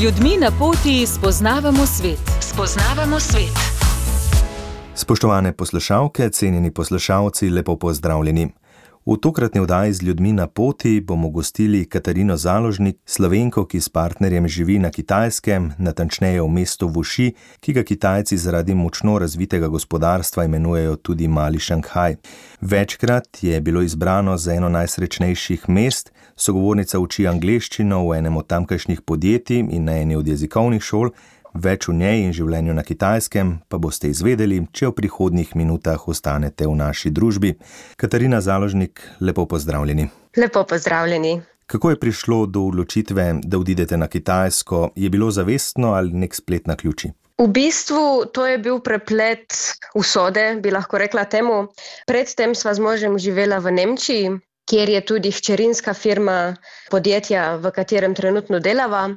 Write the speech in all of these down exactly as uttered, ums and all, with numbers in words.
ljudmi na poti spoznavamo svet. Spoznavamo svet. Spoštovane poslušalke, cenjeni poslušalci, lepo pozdravljeni. V tokratni oddaji z ljudmi na poti bomo gostili Katarino Založnik, Slovenko, ki s partnerjem živi na Kitajskem, natančneje v mestu Wuxi, ki ga Kitajci zaradi močno razvitega gospodarstva imenujejo tudi Mali Šanghaj. Večkrat je bilo izbrano za eno najsrečnejših mest, sogovornica uči angleščino v enem od tamkajšnjih podjetij in na eni od jezikovnih šol. Več v njej in življenju na Kitajskem pa boste izvedeli, če v prihodnjih minutah ostanete v naši družbi. Katarina Založnik, lepo pozdravljeni. Lepo pozdravljeni. Kako je prišlo do odločitve, da odidete na Kitajsko? Je bilo zavestno ali nek splet naključij? V bistvu to je bil preplet usode, bi lahko rekla temu. Predtem sva z možem živela v Nemčiji, kjer je tudi hčerinska firma podjetja, v katerem trenutno delava.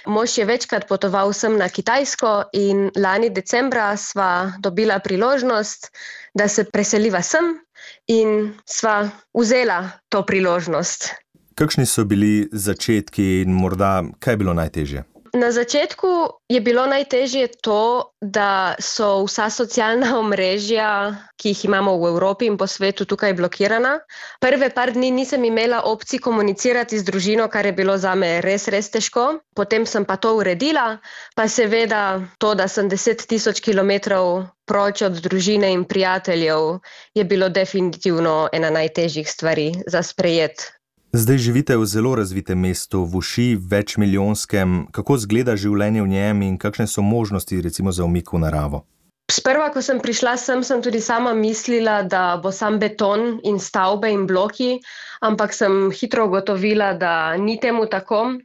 Mož je večkrat potoval sem na Kitajsko in lani decembra sva dobila priložnost, da se preseliva sem in sva vzela to priložnost. Kakšni so bili začetki in morda kaj je bilo najtežje? Na začetku je bilo najtežje to, da so vsa socialna omrežja, ki jih imamo v Evropi in po svetu, tukaj blokirana. Prve par dni nisem imela opcij komunicirati z družino, kar je bilo zame res, res težko. Potem sem pa to uredila, pa seveda to, da sem deset tisoč kilometrov proč od družine in prijateljev, je bilo definitivno ena najtežjih stvari za sprejet. Zdaj živite v zelo razvitem mestu, Wuxi, večmilijonskem. Kako izgleda življenje v njem in kakšne so možnosti recimo za umik v naravo? Sprva, ko sem prišla sem, sem tudi sama mislila, da bo sam beton in stavbe in bloki, ampak sem hitro ugotovila, da ni temu tako.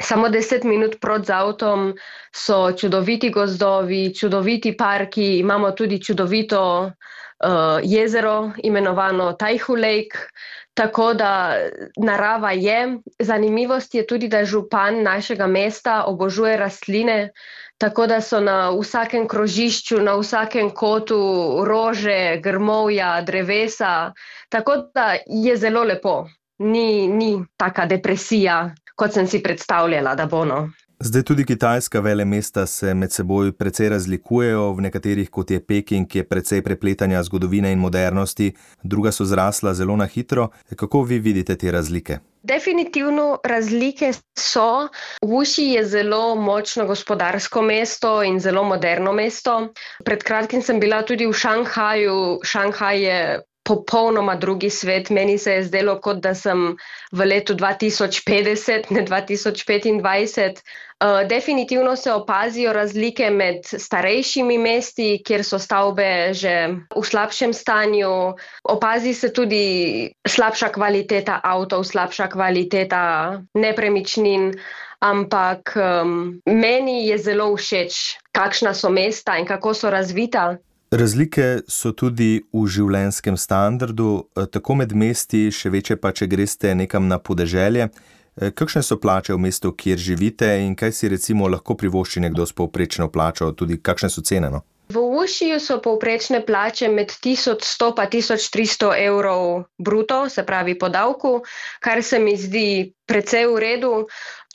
Samo deset minut proti z avtom so čudoviti gozdovi, čudoviti parki, imamo tudi čudovito uh, jezero, imenovano Taihu Lake. Tako da narava je. Zanimivost je tudi, da župan našega mesta obožuje rastline, tako da so na vsakem krožišču, na vsakem kotu rože, grmovja, drevesa. Tako da je zelo lepo. Ni, ni taka depresija, kot sem si predstavljala, da bo no. Zdaj tudi kitajska velemesta se med seboj precej razlikujejo, v nekaterih, kot je Peking, je precej prepletanja zgodovine in modernosti, druga so zrasla zelo na hitro. Kako vi vidite te razlike? Definitivno razlike so. Wuxi je zelo močno gospodarsko mesto in zelo moderno mesto. Pred kratkim sem bila tudi v Šanghaju. Šanghaj je popolnoma drugi svet. Meni se je zdelo, kot da sem v letu dva tisoč petdeset, ne dva tisoč petindvajset. Uh, definitivno se opazijo razlike med starejšimi mesti, kjer so stavbe že v slabšem stanju. Opazi se tudi slabša kvaliteta avtov, slabša kvaliteta nepremičnin, ampak um, meni je zelo všeč, kakšna so mesta in kako so razvita. Razlike so tudi v življenjskem standardu, tako med mesti, še večje pa, če greste nekam na podeželje. Kakšne so plače v mestu, kjer živite in kaj si recimo lahko privošči nekdo s povprečno plačo, tudi kakšne so cene? No? V Wuxiju so povprečne plače med tisoč sto pa tisoč tristo evrov bruto, se pravi po davku, kar se mi zdi precej v redu.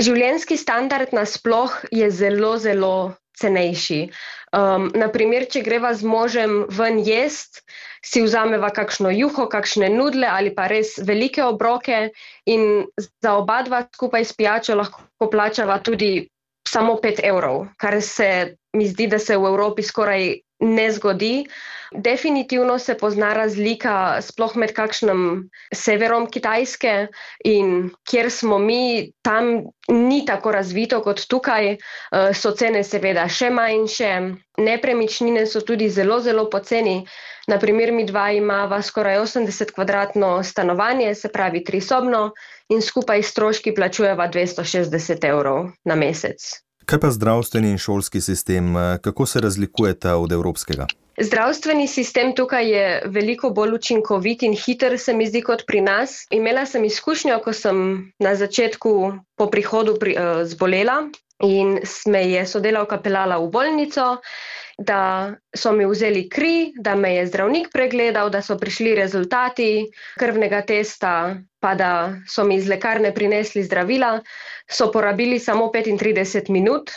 Življenjski standard nasploh je zelo, zelo cenejši. Um, naprimer, če greva z možem ven jest, si vzameva kakšno juho, kakšne nudle ali pa res velike obroke in za oba dva skupaj s pijačo lahko plačava tudi samo pet evrov, kar se mi zdi, da se v Evropi skoraj ne zgodi. Definitivno se pozna razlika sploh med kakšnim severom Kitajske in kjer smo mi, tam ni tako razvito kot tukaj, so cene seveda še manjše, nepremičnine so tudi zelo, zelo poceni. Naprimer, mi dva imava skoraj osemdeset kvadratno stanovanje, se pravi trisobno in skupaj stroški plačujeva dvesto šestdeset evrov na mesec. Kaj pa zdravstveni in šolski sistem, kako se razlikujeta od evropskega? Zdravstveni sistem tukaj je veliko bolj učinkovit in hiter, se mi zdi, kot pri nas. Imela sem izkušnjo, ko sem na začetku po prihodu pri, uh, zbolela in me je sodelavka peljala v bolnico, da so mi vzeli kri, da me je zdravnik pregledal, da so prišli rezultati krvnega testa, pa da so mi iz lekarne prinesli zdravila, so porabili samo petintrideset minut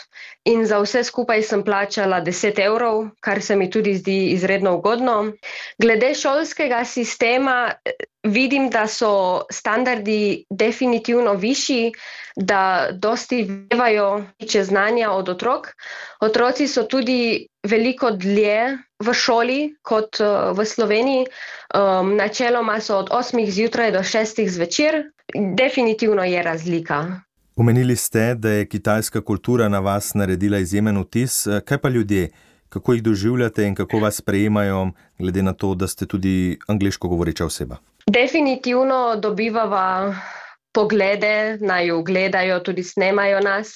in za vse skupaj sem plačala deset evrov, kar se mi tudi zdi izredno ugodno. Glede šolskega sistema vidim, da so standardi definitivno višji, da dosti vevajo več znanja od otrok. Otroci so tudi veliko dlje v šoli kot uh, v Sloveniji. Um, načeloma so od osmih zjutraj do šestih zvečer. Definitivno je razlika. Omenili ste, da je kitajska kultura na vas naredila izjemen vtis. Kaj pa ljudje? Kako jih doživljate in kako vas sprejemajo, glede na to, da ste tudi angleško govoreča oseba? Definitivno dobivava poglede, naju gledajo, tudi snemajo nas,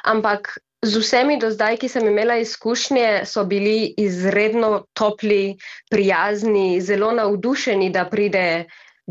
ampak z vsemi do zdaj, ki sem imela izkušnje, so bili izredno topli, prijazni, zelo navdušeni, da pride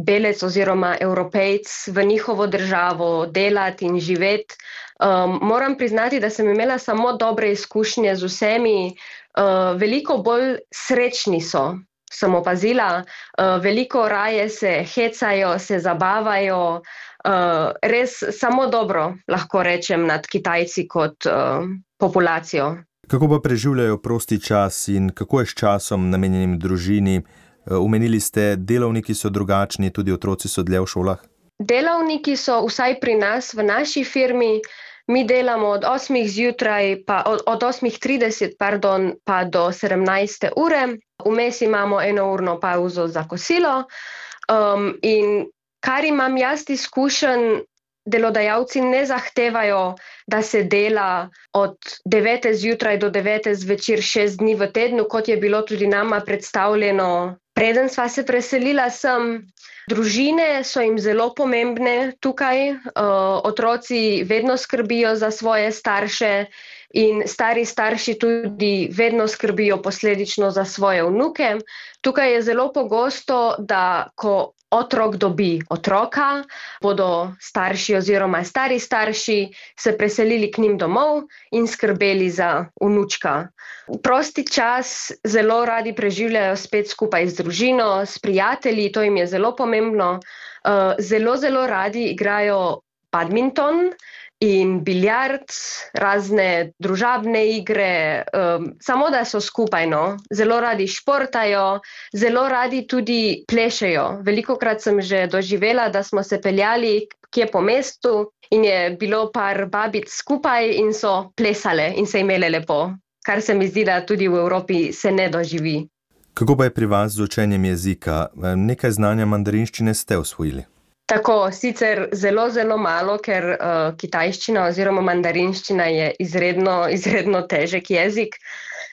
belec oziroma Evropejc v njihovo državo delati in živeti. Um, moram priznati, da sem imela samo dobre izkušnje z vsemi, uh, veliko bolj srečni so. Sem opazila, uh, veliko raje se hecajo, se zabavajo, uh, res samo dobro lahko rečem nad Kitajci kot uh, populacijo. Kako pa preživljajo prosti čas in kako je s časom namenjenim družini? Omenili ste, delavniki so drugačni, tudi otroci so dlje v šolah? Delavniki so vsaj pri nas, v naši firmi, mi delamo od osmih zjutraj, pa od, od osmih trideset, pardon, pa do sedemnajste ure. Vmes imamo enourno pauzo za kosilo. Um, in kar imam jaz izkušen, delodajalci ne zahtevajo, da se dela od devete zjutraj do devete zvečer šest dni v tednu, kot je bilo tudi nama predstavljeno. Preden sva se preselila sem, družine so jim zelo pomembne tukaj, uh, otroci vedno skrbijo za svoje starše in stari starši tudi vedno skrbijo posledično za svoje vnuke. Tukaj je zelo pogosto, da ko otrok dobi otroka, bodo starši oziroma stari starši se preselili k njim domov in skrbeli za vnučka. Prosti čas zelo radi preživljajo spet skupaj z družino, s prijatelji, to jim je zelo pomembno. Zelo, zelo radi igrajo badminton in biljard, razne družabne igre, um, samo da so skupaj, no. Zelo radi športajo, zelo radi tudi plešejo. Velikokrat sem že doživela, da smo se peljali kje po mestu in je bilo par babic skupaj in so plesale in se imele lepo, kar se mi zdi, da tudi v Evropi se ne doživi. Kako pa je pri vas z učenjem jezika? Nekaj znanja mandarinščine ste osvojili? Tako, sicer zelo, zelo malo, ker uh, kitajščina oziroma mandarinščina je izredno, izredno težek jezik.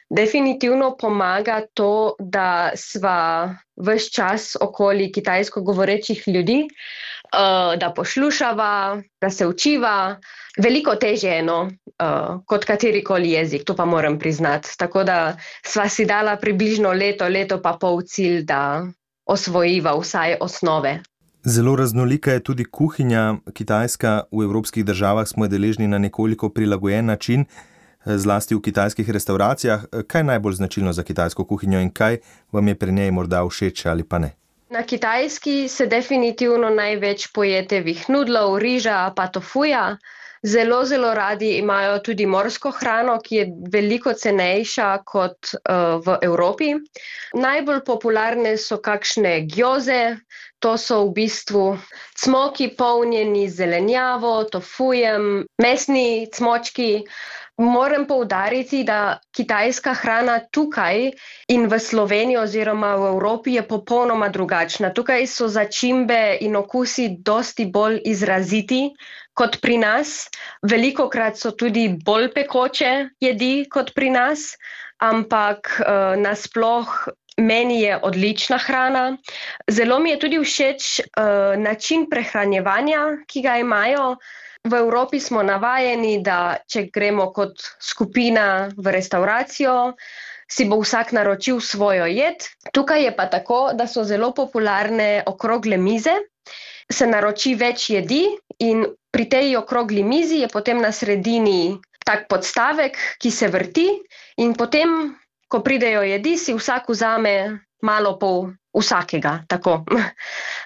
Definitivno pomaga to, da sva ves čas okoli kitajsko govorečih ljudi, uh, da poslušava, da se učiva. Veliko težje je, no, uh, kot katerikoli jezik, to pa moram priznati. Tako da sva si dala približno leto, leto pa pol cilj, da osvojiva vsaj osnove. Zelo raznolika je tudi kuhinja. Kitajska v evropskih državah smo deležni na nekoliko prilagojen način, zlasti v kitajskih restauracijah. Kaj je najbolj značilno za kitajsko kuhinjo in kaj vam je pri njej morda všeč ali pa ne? Na Kitajski se definitivno največ pojetevih nudlov, riža pa tofuja. Zelo, zelo radi imajo tudi morsko hrano, ki je veliko cenejša kot uh, v Evropi. Najbolj popularne so kakšne gjoze, to so v bistvu cmoki polnjeni z zelenjavo, tofujem, mesni cmočki. Moram poudariti, da kitajska hrana tukaj in v Sloveniji oziroma v Evropi je popolnoma drugačna. Tukaj so začimbe in okusi dosti bolj izraziti kot pri nas. Velikokrat so tudi bolj pekoče jedi kot pri nas, ampak uh, nasploh meni je odlična hrana. Zelo mi je tudi všeč uh, način prehranjevanja, ki ga imajo. V Evropi smo navajeni, da če gremo kot skupina v restauracijo, si bo vsak naročil svojo jed. Tukaj je pa tako, da so zelo popularne okrogle mize, se naroči več jedi in pri tej okrogli mizi je potem na sredini tak podstavek, ki se vrti in potem ko pridejo jedi, si vsak vzame malo pol vsakega, tako.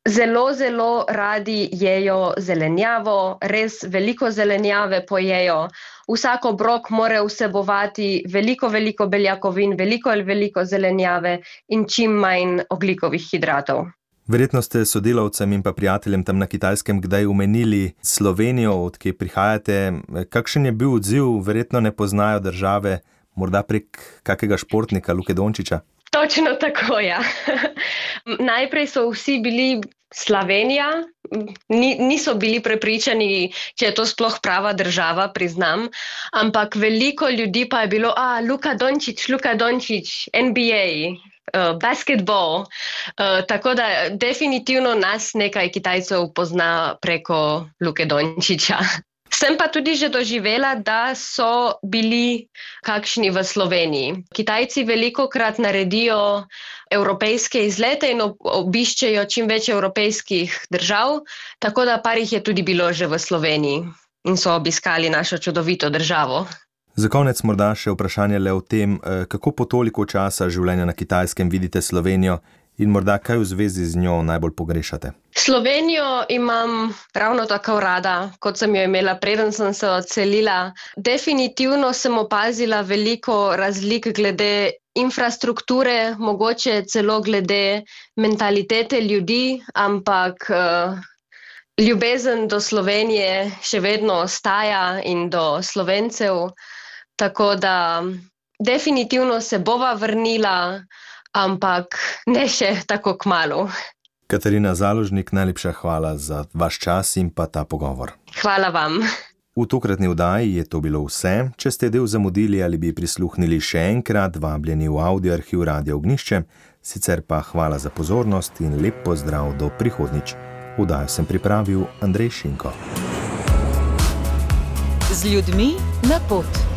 Zelo, zelo radi jejo zelenjavo, res veliko zelenjave pojejo. Vsak obrok mora vsebovati veliko, veliko beljakovin, veliko ali veliko zelenjave in čim manj ogljikovih hidratov. Verjetno ste sodelavcem in pa prijateljem tam na Kitajskem kdaj omenili Slovenijo, od kje prihajate. Kakšen je bil odziv? Verjetno ne poznajo države, morda prek kakega športnika, Luke Dončića? Točno tako, ja. Najprej so vsi bili Slovenija, Ni, niso bili prepričani, če je to sploh prava država, priznam, ampak veliko ljudi pa je bilo, a, Luka Dončić, Luka Dončić, N B A, uh, basketball, uh, tako da definitivno nas nekaj Kitajcev pozna preko Luke Dončića. Sem pa tudi že doživela, da so bili kakšni v Sloveniji. Kitajci velikokrat naredijo evropejske izlete in obiščejo čim več evropejskih držav, tako da par jih je tudi bilo že v Sloveniji in so obiskali našo čudovito državo. Za konec morda še vprašanje le o tem, kako po toliko časa življenja na Kitajskem vidite Slovenijo in morda kaj v zvezi z njo najbolj pogrešate? Slovenijo imam ravno tako rada, kot sem jo imela, preden sem se odselila. Definitivno sem opazila veliko razlik glede infrastrukture, mogoče celo glede mentalitete ljudi, ampak uh, ljubezen do Slovenije še vedno ostaja in do Slovencev, tako da definitivno se bova vrnila, ampak ne še tako kmalu. Katarina Založnik, najlepša hvala za vaš čas in pa ta pogovor. Hvala vam. V tokratni oddaji je to bilo vse. Če ste del zamudili ali bi prisluhnili še enkrat, vabljeni v audio arhiv Radia Ognjišče, sicer pa hvala za pozornost in lep pozdrav do prihodnjič. Oddajo sem pripravil Andrej Šinko. Z ljudmi na pot.